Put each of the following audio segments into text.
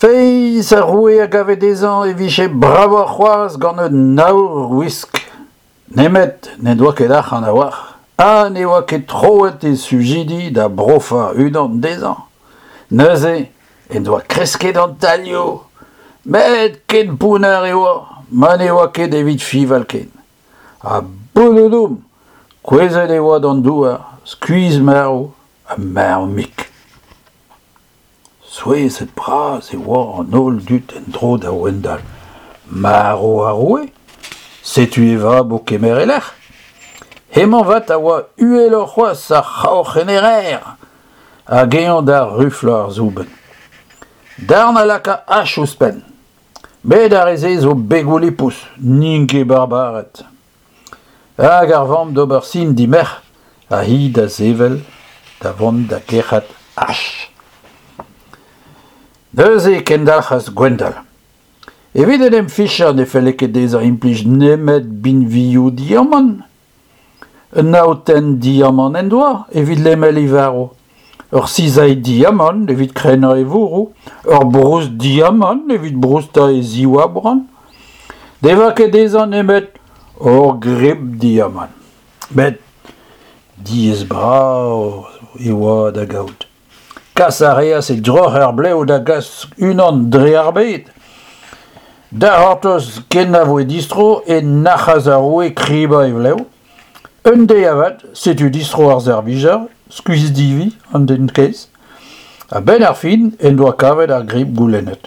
Feiz, ar roue a gave dezhañ e vije bravoc'h c'hoazh gant un aourwisk. Nemet n'en doa ket arc'hant a-walc'h ha ne oa ket troet e sujidi da brofañ unan dezhañ. Neuze en doa kresket an tailhoù, met ken pounner e oa ma ne oa ket evit fiñval ken. Ha bouloudoum, kouezhet e oa d'an douar, skuizh-marv ha marv-mik. Souezhet-bras e oa an holl dud en-dro da Wendal. Marv ar roue ? Setu e vab o kemer e lec'h. Hemañ 'vat a oa uheloc'h c'hoazh ar c'haoc'henner hag eñ da ruflañ ar soubenn. Darn a laka ach ouzhpenn. Met ar re-se zo begoù lipous, n'int ket barbared. Hag ar vamm d'ober sin d'he merc'h ha hi da sevel da vont da gerc'hat ach. Neuze e kendalc'has Gwendal. Evit en em fichañ ne felle ket dezhañ implij nemet binvioù diamant. Un aotenn diamant en doa evit lemel e varv, ur sizailh diamant evit krennañ e vourroù, ur broust diamant evit broustañ e ziv-abrant. Ne oa ket dezhañ nemet ur grip diamant. Met diaes-bras e oa da gaout. Kas a reas e droc'her-blev da gas unan dre ar bed. Da c'hortoz ken na voe distro e nac'has ar roue kribañ e vlev. Un deiz avat, setu distro ar servijer, skuizh-divi an den kaezh. A-benn ar fin en doa kavet ar grip goulennet.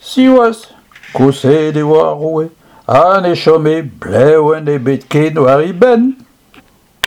Siwazh, koseet e oa ar roue ha ne chome blevenn ebet ken war e benn.